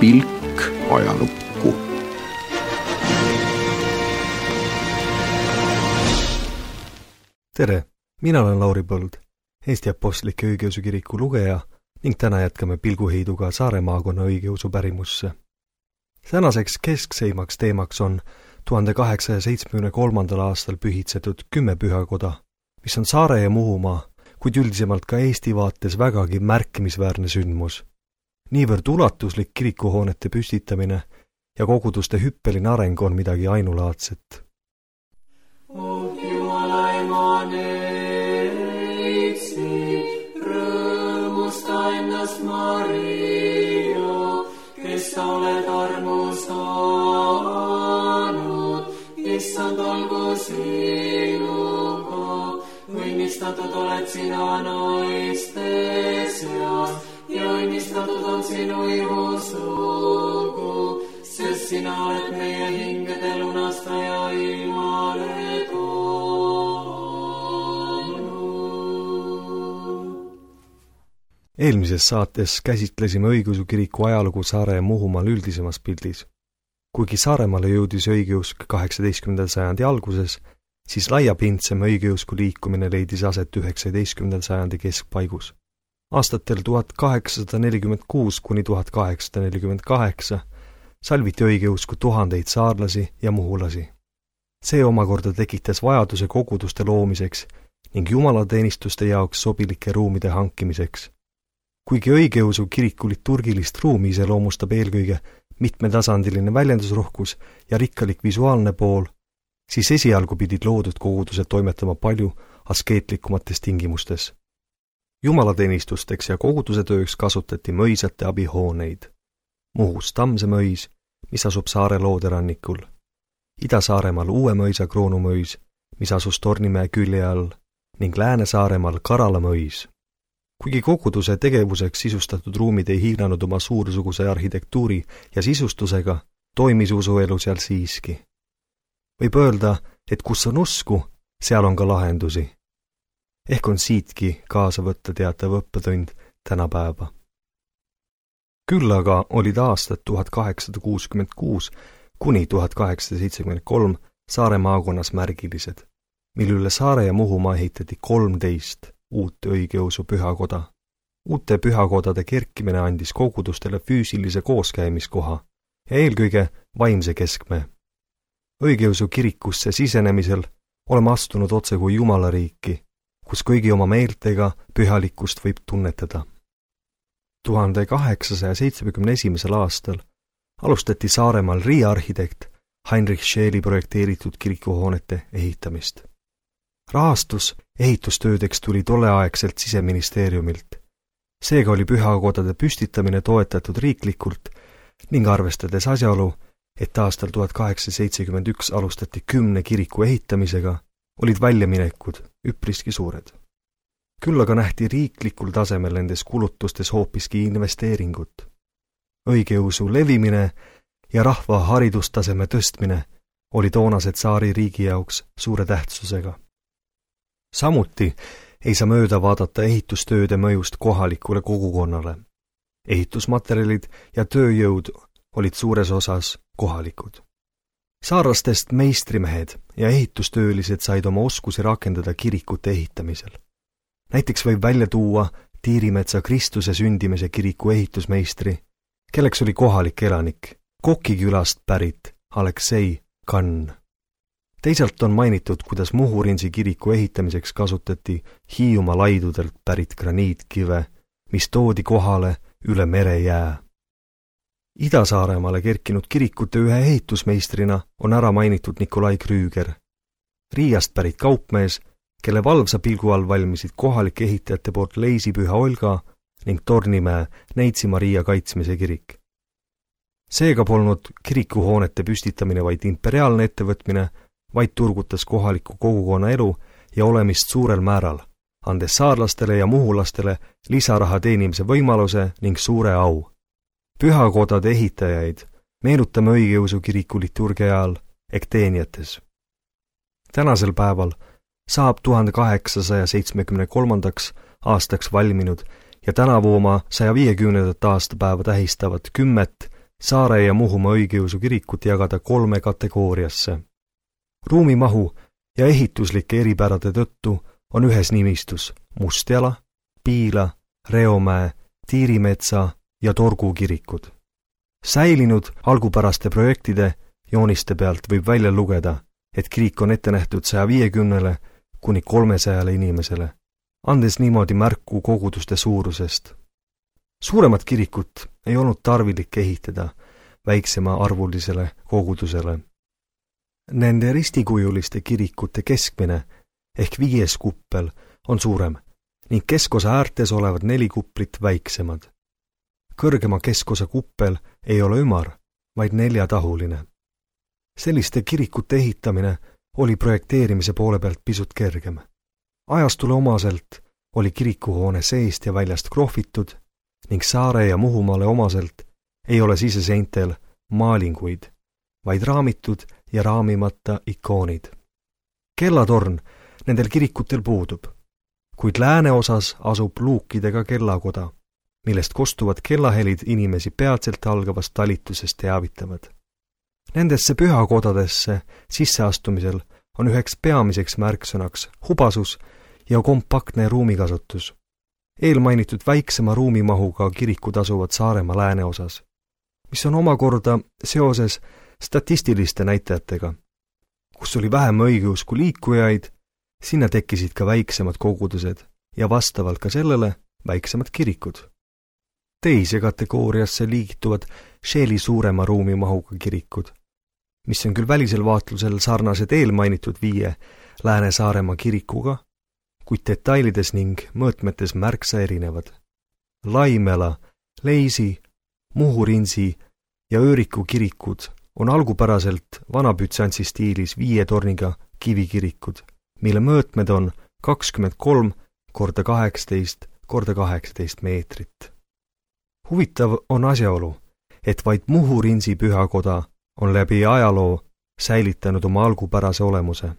pilk ajalukku. Tere, mina olen Lauri Põld, Eesti Apostlike Õigeusu Kiriku lugeja ning täna jätkame pilguheiduga Saare maakonna õigeusu pärimusse. Tänaseks keskseimaks teemaks on 1873. aastal pühitsetud 10 pühakoda, mis on Saare ja Muhumaa, kuid üldisemalt ka Eesti vaates vägagi märkimisväärne sündmus. Niivõrd ulatuslik kirikuhoonete püstitamine ja koguduste hüppeline areng on midagi ainulaadset. Jumala ema neitsi, rõõmusta ennast Maria, kes sa oled armu saanud, issand olgu sinuga, õnnistatud oled sina naiste seas ja õnnistatud on sinu ihusugu, sest sina oled meie hingede lunastaja ilmale toonud. Eelmises saates käsitlesime õigeusu kiriku ajalugu Saare ja Muhumaal üldisemas pildis. Kuigi Saaremaale jõudis õigeusk 18. sajandi alguses, siis laiapindsem õigeusku liikumine leidis aset 19. sajandi keskpaigus. Aastatel 1846 kuni 1848 salviti õigeusku tuhandeid saarlasi ja muhulasi. See omakorda tekitas vajaduse koguduste loomiseks ning jumalateenistuste jaoks sobilike ruumide hankimiseks. Kuigi õigeusu kiriku liturgilist ruumi iseloomustab eelkõige mitmetasandiline väljendusrohkus ja rikkalik visuaalne pool, siis esialgu pidid loodud kogudused toimetama palju askeetlikumates tingimustes. Jumalateenistusteks ja koguduse tööks kasutati mõisate abihooneid. Muhus Tammse mõis, mis asub Saare looderannikul, Ida-Saaremaal Uue mõisa Kroonumõis, mis asus Tornimäe külje all, ning Lääne-Saaremaal Karala mõis. Kuigi koguduse tegevuseks sisustatud ruumid ei hiilanud oma suursuguse arhitektuuri ja sisustusega, toimis usuelu seal siiski. Võib öelda, et kus on usku, seal on ka lahendusi. Ehk on siitki kaasa võtta teatav õppetund tänapäeva. Küll aga olid aastad 1866 kuni 1873 Saare maakonnas märgilised, mil üle Saare ja Muhumaa ehitati 13 uut õigeusu pühakoda. Uute pühakodade kerkimine andis kogudustele füüsilise kooskäimiskoha ja eelkõige vaimse keskme. Õigeusu kirikusse sisenemisel oleme astunud otse kui Jumalariiki, kus kõigi oma meeltega pühalikkust võib tunnetada. 1871. aastal alustati Saaremaal Riia arhitekt Heinrich Scheeli projekteeritud kirikuhoonete ehitamist. Rahastus ehitustöödeks tuli tolleaegselt Siseministeeriumilt. Seega oli pühakodade püstitamine toetatud riiklikult ning arvestades asjaolu, et aastal 1871 alustati 10 kiriku ehitamisega, olid väljaminekud üpriski suured. Küll aga nähti riiklikul tasemel nendes kulutustes hoopiski investeeringut. Õigeusu levimine ja rahva haridustaseme tõstmine oli toonased Saari riigi jaoks suure tähtsusega. Samuti ei saa mööda vaadata ehitustööde mõjust kohalikule kogukonnale. Ehitusmaterjalid ja tööjõud olid suures osas kohalikud. Saarlastest meistrimehed ja ehitustöölised said oma oskusi rakendada kirikute ehitamisel. Näiteks võib välja tuua Tiirimetsa Kristuse sündimise kiriku ehitusmeistri, kelleks oli kohalik elanik, Koki külast pärit Aleksei Kann. Teisalt on mainitud, kuidas Muhurinsi kiriku ehitamiseks kasutati Hiiumaa laidudelt pärit graniitkive, mis toodi kohale üle merejää. Ida-Saaremaale kerkinud kirikute ühe ehitusmeistrina on ära mainitud Nikolai Krüüger, Riiast pärit kaupmees, kelle valvsa pilgu all valmisid kohalike ehitajate poolt Leisipüha Olga ning Tornimäe Neitsi Maria kaitsmise kirik. Seega polnud kirikuhoonete püstitamine vaid imperiaalne ettevõtmine, vaid turgutas kohaliku kogukonna elu ja olemist suurel määral, andes saarlastele ja muhulastele lisaraha teenimise võimaluse ning suure au. Pühakodade ehitajaid meenutame õigeusu kiriku liturgia ajal ekteeniates. Tänasel päeval saab 1873. aastaks valminud ja tänavu oma 150. aastapäeva tähistavat 10 Saare ja Muhumaa õigeusu kirikut jagada 3 kategooriasse. Ruumimahu ja ehituslike eripärade tõttu on ühes nimistus Mustjala, Piila, Reomäe, Tiirimetsa ja Torgu kirikud. Säilinud algupäraste projektide jooniste pealt võib välja lugeda, et kirik on ette nähtud 150 kuni 300 inimesele, andes niimoodi märku koguduste suurusest. Suuremat kirikut ei olnud tarvilik ehitada väiksema arvulisele kogudusele. Nende ristikujuliste kirikute keskmine ehk 5. kuppel on suurem ning keskosa äärtes olevad 4 kuplit väiksemad. Kõrgema keskosa kuppel ei ole ümar, vaid 4-tahuline. Selliste kirikute ehitamine oli projekteerimise poole pealt pisut kergem. Ajastule omaselt oli kirikuhoone seest ja väljast krohvitud ning Saare ja Muhumaale omaselt ei ole siseseintel maalinguid, vaid raamitud ja raamimata ikoonid. Kellatorn nendel kirikutel puudub, kuid lääneosas asub luukidega kellakoda, millest kostuvad kellahelid inimesi peatselt algavast talitusest teavitavad. Nendesse pühakodadesse sisseastumisel on üheks peamiseks märksõnaks hubasus ja kompaktne ruumikasutus. Eelmainitud väiksema ruumimahuga kirikud asuvad Saaremaa lääneosas, mis on omakorda seoses statistiliste näitajatega. Kus oli vähem õigeusku liikujaid, sinna tekkisid ka väiksemad kogudused ja vastavalt ka sellele väiksemad kirikud. Teise kategooriasse liigituvad Sheeli suurema ruumimahuga kirikud, mis on küll välisel vaatlusel sarnased eelmainitud 5 Lääne-Saaremaa kirikuga, kuid detailides ning mõõtmetes märksa erinevad. Laimela, Leisi, Muhurinsi ja Ööriku kirikud on algupäraselt vanabütsantsi stiilis 5 torniga kivikirikud, mille mõõtmed on 23 × 18 × 18 meetrit. Huvitav on asjaolu, et vaid Muhurinsi pühakoda on läbi ajaloo säilitanud oma algupärase olemuse.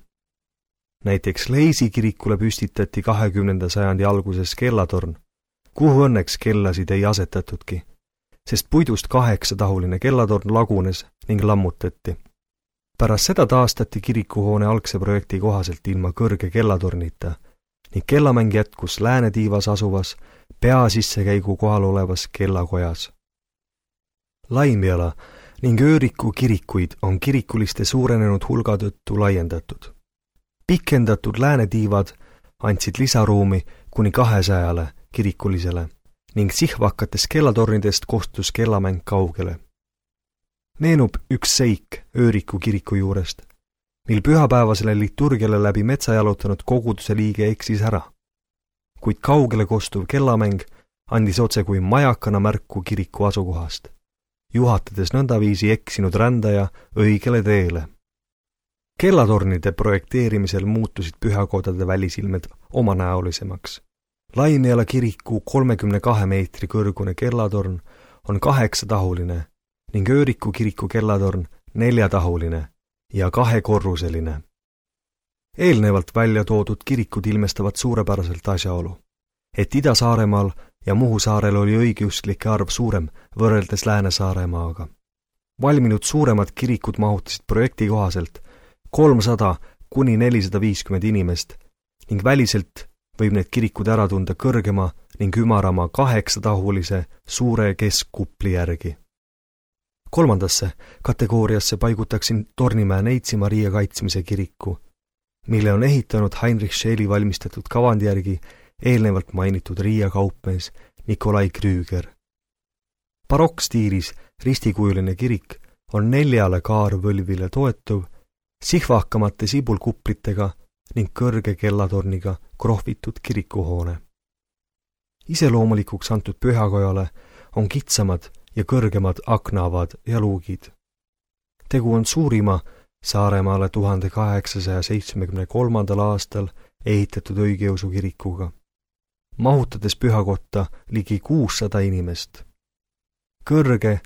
Näiteks Leisi kirikule püstitati 20. sajandi alguses kellatorn, kuhu õnneks kellasid ei asetatudki, sest puidust 8-tahuline kellatorn lagunes ning lammutati. Pärast seda taastati kirikuhoone algse projekti kohaselt ilma kõrge kellatornita ning kellamäng jätkus läänetiivas asuvas peasissekäigu kohal olevas kellakojas. Laimjala ning Ööriku kirikuid on kirikuliste suurenenud hulga tõttu laiendatud. Pikendatud läänetiivad andsid lisaruumi kuni 200 kirikulisele ning sihvakates kellatornidest kostus kellamäng kaugele. Meenub üks seik Ööriku kiriku juurest, mil pühapäevasele liturgiale läbi metsa jalutanud koguduse liige eksis ära, kuid kaugele kostuv kellamäng andis otse kui majakana märku kiriku asukohast, juhatades nõndaviisi eksinud rändaja õigele teele. Kellatornide projekteerimisel muutusid pühakodade välisilmed omanäolisemaks. Laimjala kiriku 32 meetri kõrgune kellatorn on 8-tahuline ning Ööriku kiriku kellatorn 4-tahuline ja 2-korruseline. Eelnevalt välja toodud kirikud ilmestavad suurepäraselt asjaolu, et Ida-Saaremaal ja Muhusaarel oli õigeusklike arv suurem võrreldes Lääne-Saaremaaga. Valminud suuremad kirikud mahutasid projekti kohaselt 300 kuni 450 inimest ning väliselt võib need kirikud ära tunda kõrgema ning ümarama 8-tahulise suure keskkupli järgi. 3. kategooriasse paigutaksin Tornimäe Neitsi Maria kaitsmise kiriku, mille on ehitanud Heinrich Scheeli valmistatud kavandi järgi eelnevalt mainitud Riia kaupmees Nikolai Krüger. Barokkstiilis ristikujuline kirik on 4 kaarvõlvile toetuv, sihvakamate sibulkuplitega ning kõrge kellatorniga krohvitud kirikuhoone. Iseloomulikuks antud pühakojale on kitsamad ja kõrgemad aknaavad ja luugid. Tegu on suurima Saaremaale 1873. aastal ehitatud õigeusu kirikuga, mahutades pühakotta ligi 600 inimest. Kõrge,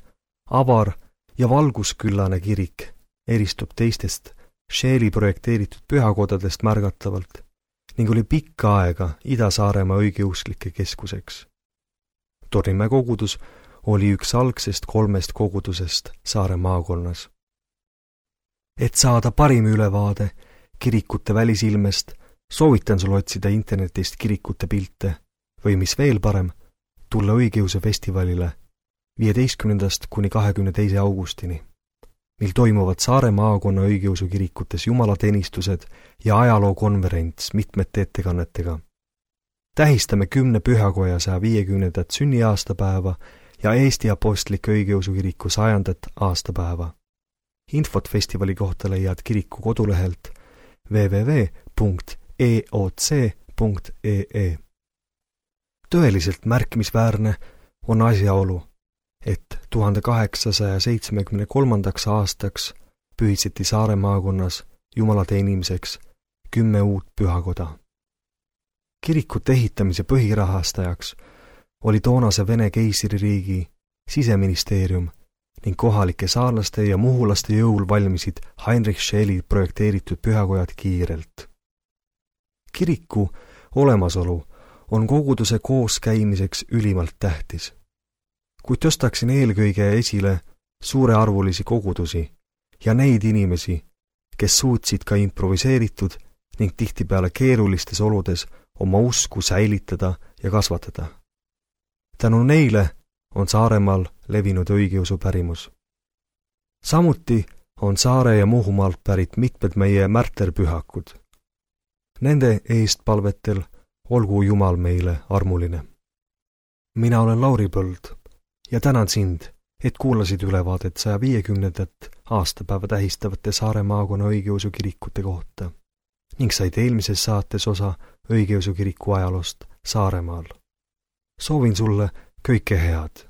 avar ja valgusküllane kirik eristub teistest Scheeli projekteeritud pühakodadest märgatavalt ning oli pikka aega Ida-Saaremaa õigeusklike keskuseks. Tornimäe kogudus oli üks algsest 3 kogudusest Saare maakonnas. Et saada parim ülevaade kirikute välisilmest, soovitan sul otsida internetist kirikute pilte või mis veel parem, tulla õigeusu festivalile 15. kuni 22. augustini, mil toimuvad Saare maakonna õigeusu kirikutes jumalateenistused ja ajalookonverents mitmete ettekannetega. Tähistame 10 pühakoja 150. sünniaastapäeva ja Eesti Apostliku Õigeusu Kiriku 100. aastapäeva. Infot festivali kohta leiad kiriku kodulehelt www.eoc.ee. Tõeliselt märkimisväärne on asjaolu, et 1873. aastaks pühitseti Saare maakonnas Jumala teenimiseks 10 uut pühakoda. Kirikute ehitamise põhirahastajaks oli toonase Vene keisririigi siseministeerium ning kohalike saarlaste ja muhulaste jõul valmisid Heinrich Scheeli projekteeritud pühakojad kiirelt. Kiriku olemasolu on koguduse kooskäimiseks ülimalt tähtis, kuid tõstaksin eelkõige esile suurearvulisi kogudusi ja neid inimesi, kes suutsid ka improviseeritud ning tihtipeale keerulistes oludes oma usku säilitada ja kasvatada. Tänu neile on Saaremaal levinud õigeusu pärimus. Samuti on Saare ja Muhumaalt pärit mitmed meie märterpühakud. Nende eestpalvetel olgu Jumal meile armuline. Mina olen Lauri Põld ja tänan sind, et kuulasid ülevaadet 150. aastapäeva tähistavate Saare maakonna õigeusu kirikute kohta ning said eelmises saates osa õigeusu kiriku ajaloost Saaremaal. Soovin sulle kõike head.